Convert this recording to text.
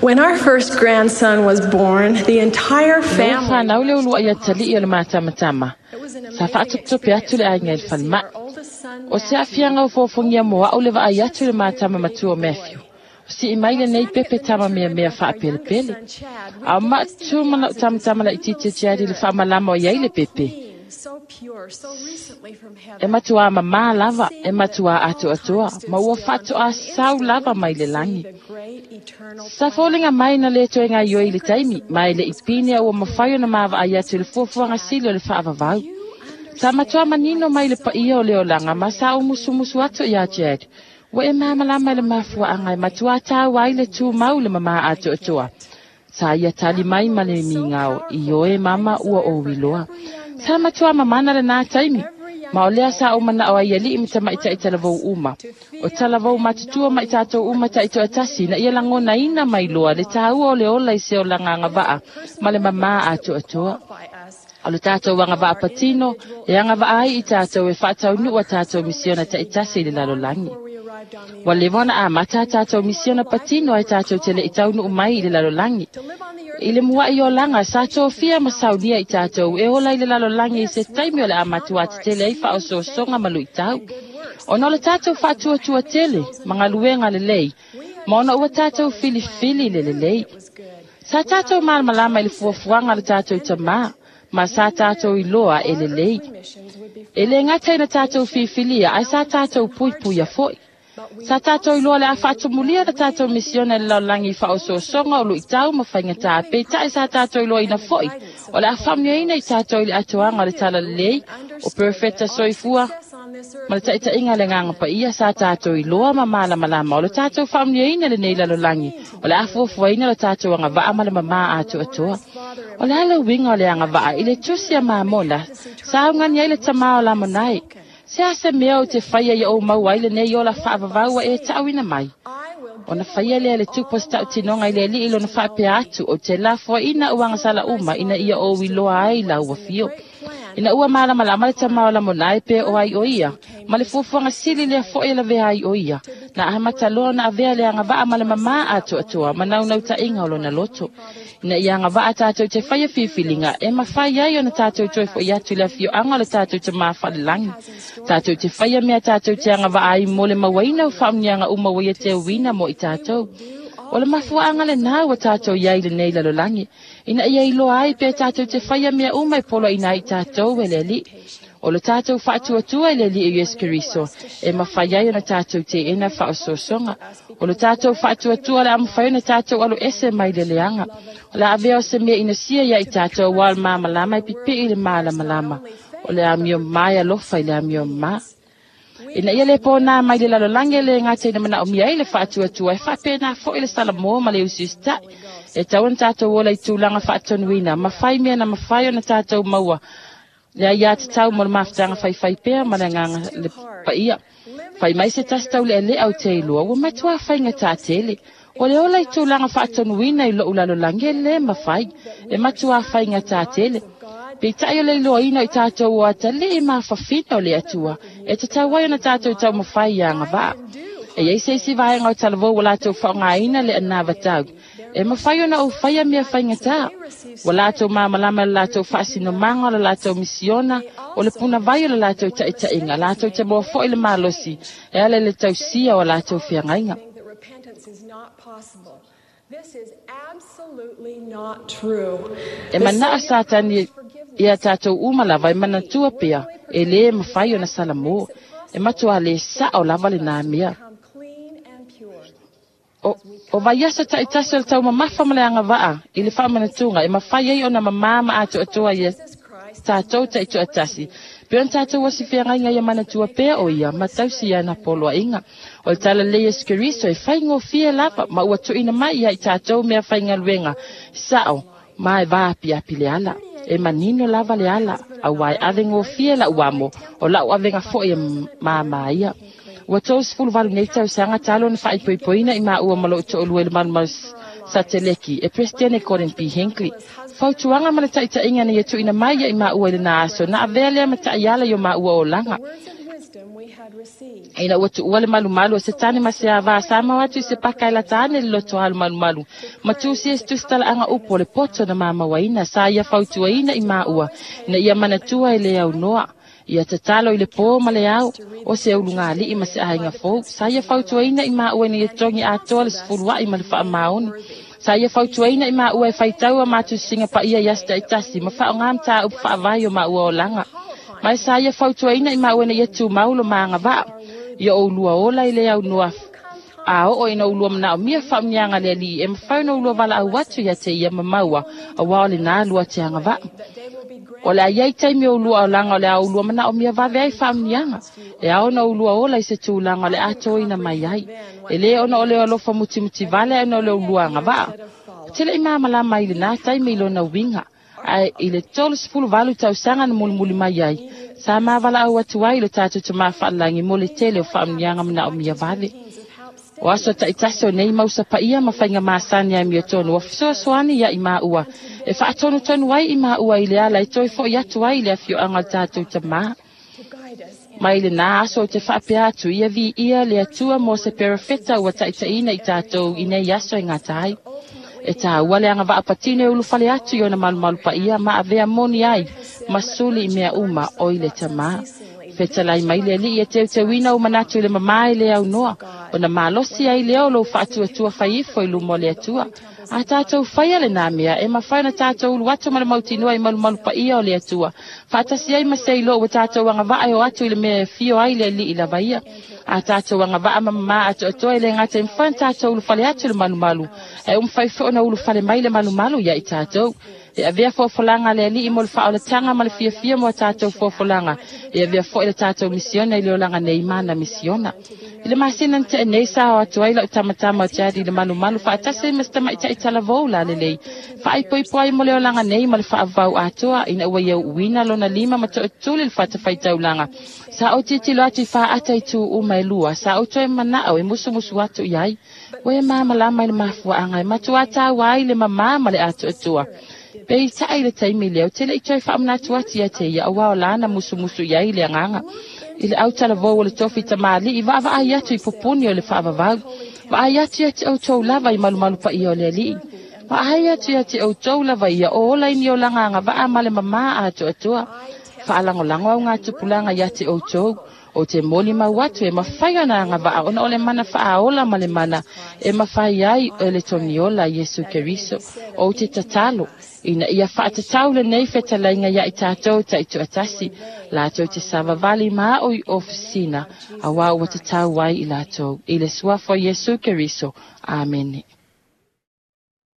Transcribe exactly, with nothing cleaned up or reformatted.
When our first grandson was born, the entire Ua family whanau le ulua ia tali o le mātamatama. It was an Sa amazing whaatutupe atu le experience aiga i for le me to see whanma. our oldest son, O se Matthew, afianga o fōfongia moa au le vaai atu le mātama matua o Matthew. O si i mai le nei pepe tama mea mea whaapelepele. A o maatu mana o tamatama la i tite tiari le whaamalama o iai le pepe. So pure, so recently from heaven. E matua mamā lava, e matua atu atua, ma ua whatu a sau lava mai le langi. The great eternal Sa fōlinga mai na le toe ngā ioi le taimi, mai le ipine a ua mawhai o na mawa ai atu le fuafuanga sili o le whaavavau. Sa matua manino mai le paia o le olanga, ma sa umusumusu atu ia Chad. Ua e māmalama le mafua anga e matua tāu ai le tū mau le mama atu atua. Sa ia tali mai ma le mingao, i oe mama ua o wiloa. Sa matua mamana le nā taimi. Ma o lea sa o mana o ai ali i ma i talavou uma. O talavou matutua ma i tātou uma ta i toatasi na ia langona ina mai loa le tāua o le ola i se o langanga vaa ma le mama atu atua. O le tātou anga vaa patino e anga vaa ai i tātou e whaatau nua tātou misiona ta i tasi i le lalolangi. Wa lewa na a mata tātou misiona patino ai tātou te le i taunu mai i le lalolangi. I le mua i o langa sa tōfia ma saunia i tātou e ola i le lalolangi i se taimi o le amatua te tele ai wha o sosonga malu i tau. O no le tātou whaatuatua tele, mangaluenga le lei, ma ona ua tātou filifili le le lei. Sa tātou malamalama i le fuafuaga le tātou tamā, ma sa tātou i loa e le lei. E le ngata ina tātou fifilia, ai sa tātou puipuia foi. Sa tātou i loa le a whaatumulia le tātou misiona le laulangi wha o sosonga o lui tau ma whainga tā pe tae sa tātou i loa ina foi. O le a whamnia i tātou i le atoanga le tala lei o perfecta soifua ma le taitainga le nganga pa ia sa tātou i loa ma malamalama o le tātou whamnia ina le nei lalolangi o le a fuafuaina le tātou anga vaa ma le mama atu atoa. O le ala winga o le anga vaa i le tusi a mamona sa ungani ai le tamā o la monai. Se ase mea o te whaia i o mau ai le nei o la whaavavaua e tauina mai. O na whaia lea le tupo stau tinonga i le li ilo na whaapea atu o te la fuaina uanga sala uma ina ia o wiloa ai la ua fio. Ina ua malamalama le tamā o la monai pe o ai o ia. Ma le fuafuaga sili lea fo'i la vea ai o ia. Na ahamata loa na avea le anga vaa ma le mamā atu atua ma naunau tainga o lona loto. Ina ia anga vaa tātou te whaia fifilinga e mawhai ai o na tātou toe fo i atu le afioanga o le tātou te māwhalelangi. Tātou te whaia mea tātou te anga vaa ai mo le mawaina o whaamnianga uma waia te uina mo i tātou. O le mafuaanga le nā ua tātou iai le nei lalolangi. Ina ia iloa ai pe tātou te whaia mea uma e polo ina i tātou e le li. O le tātou whaatuatua i le li e Yesu Keriso e mawhai ai ona tātou te ena whaososonga. O le tātou whaatuatua le amawhai ona tātou alo ese mai le leanga. O le avea o se mea ina sia ia i tātou wal māmalama i pipi i le mālamalama. O le amio mai alofa i le amio mā. Ina ia le pō nā mai le lalolangi le ngā teina mana o mia i le whaatuatua e whapena fo i le salamo ma le usiustai. E tau na tātou ola i tūlanga whaatonuina, ma whai mea na mawhai o na tātou maua. Le ai a te tau mo le mawhitanga whai whai pea ma le nganga le paia. Whai mai se tasi tau le ele au te ilua, ua matua whainga tā tele. O le ola i tūlanga whaatonuina i lou lalolangi e le mawhai, e matua whainga tā tele. Pe tai o le iloa ina i tātou o atale e mawhawhina o le atua, e te tau ai ona tātou tau mawhai i anga vaa. E iei se isi vaenga o talavou o lātou whaongaina le anava tau. E mawhai ona o whaia mea whainga tā. O lātou māmalama le lātou whaasinomanga o le lātou misiona, o le puna vai o le lātou taitainga, lātou te moa foi le malosi, e ale le tausia o lātou whiangainga. That repentance is not possible. This is absolutely not true. E mana a sātani ia tātou uma lava e manatua pea, e le mawhai o na salamo, e matua le sa o lava le nā mea. Come clean and pure. O, o vaiasa taitasi o le tau mamafa ma le anga vaa, i le whaamanatunga, e mawhai ai o na mamama atu atua ia tātou taitoatasi. Pe ona tātou wasi whiangainga ia manatua pea o ia, ma tausi ia na poloa inga. O le tala le Yesu Keriso e whaingo fia lava, ma ua tuina mai ia i tātou mea whaingaluenga. Sao, ma e vaapi api le ala. E manino lava le ala, au ai avengo fia la uamo, o lau avenga foi e māmā ia. Ua tō sifulu valu nei tausaga talo na faaipoipoina i maua ma loo toʻolua i le malumalu sateleki e Presidente Gordon B. Hinckley. Fautuaga ma le taʻitaʻiga na ia tuʻuina mai ia i maua i lenā aso na avea lea ma taʻiala i o maua olaga. Words of wisdom we had received. Ina ua tuua le malumalu o Setani ma se avā sa mau atu i se paka e lata ane le loto alu malumalu. Ma tusi e se tusitalaʻaga upu o le poto na mamauaina sa ia fautuaina i maua ina ia manatua e le aunoa. Ia tatalo i le pō ma le ao o se ulugalii ma se aiga fou. Sa ia fautuaina i maua ina ia togi atoa le sefuluaʻi ma le faamaoni. Sa ia fautuaina i maua e faitau a matusiga paia i aso taʻitasi ma faaaogā matāupu faavae o maua olaga. Ma e sa ia fautuaina i maua ina ia tumau lo magavaa. Ia oulua ola i le aunoa a oo ina ulua manaʻomia faamanuiaga le Alii e mafai ona ulua valaau atu ia te ia ma maua auā o lenā lua te agavaa. O le a iai taimi o ulua olaga o le a ulua manaʻomia vave ai faamanuiaga. E ao ona ulua ola i se tulaga o le atoina mai ai. E lē ona o le alofa mutimuti vale ae ona o le ulua agavaa. O te leʻi malamalama i lenā taimi i lona uiga. Ae i le tolu sefulu valu tausaga na mulimuli mai ai, sa mavalaau atu ai lo tatou tamā faalagi mo le tele o faamanuiaga manaʻomia vave. O aso taʻitasi o nei mausa paia ma faiga masani ai miotonu ua fesoasoani ia i maua e faatonutonu ai i maua i le ala e toe foʻi atu ai i le afioaga o le tatou tamā. Mai lenā aso o te faapea atu ia viia le Atua mo se perofeta ua taʻitaʻina i tatou i nei aso e gata ai. E tāua le agavaa patino e ulufale atu i ona malumalu paia ma avea moni ai ma suli i mea uma o i le tamā. Fetalai mai le Alii e teuteuina ou manatu i le mamā e le aunoa, ona malosi ai lea o lou faatuatua fai ifo i luma o le Atua. A tatou faia lenā mea e mafai ona tatou ulu atu ma le mautinoa i malumalu paia o le Atua. Faatasi ai ma se iloa ua tatou agavaa e o atu i le mea e afio ai le Alii lava ia. A tatou agavaa ma mamā atoatoa e le gata e mafai ona tatou ulufale atu i le malumalu, ae ua mafai foi ona ulufale mai le malumalu ia i tatou. E avea fofolaga a le Alii mo le faaolataga ma le fiafia mo a tatou fofolaga. E avea foi le tatou misiona i le olaga nei ma ana misiona. I le masina na tea nei sa o atu ai lau tamatama o Jadi i le malumalu faatasi ai ma se tamaitaʻi talavou lalelei. Faaipoipo ai mo le olaga nei ma le faavavau atoa ina ua ia uuina lona lima ma toʻatuli le fatafaitaulaga. Sa ou tilotilo atu i faata i tu uma e lua, sa ou toe manaʻo e musumusu atu i ai. Ua e malamalama i le mafuaaga e matuā taua ai le mamā ma le atoatoa. Peitai i le taimi lea, ou te leʻi toe faamanatu atu ia te ia auā o lana musumusu i ai le agaga. I le autalavou o le tofi tamalii vaavaai atu i pupuni o le faavavau. Vaai atu ia te outou lava i malumalu paia o le Alii. Vaai atu ia te outou lava ia o ola i ni olaga agavaa ma le mamā atoatoa. Faalagolago au gatupulaga ia te outou. O te moli mau atu e mafai ona agavaa ona o le mana faaola ma le mana e mafai ai e le togiola Iesu Keriso. Ou te tatalo ina ia faatatau lenei fetalaiga ia i tatou taitoatasi latou te savavali ma aʻo i ofisina auā ua tatau ai i latou. I le suafa o Iesu Keriso. Amene.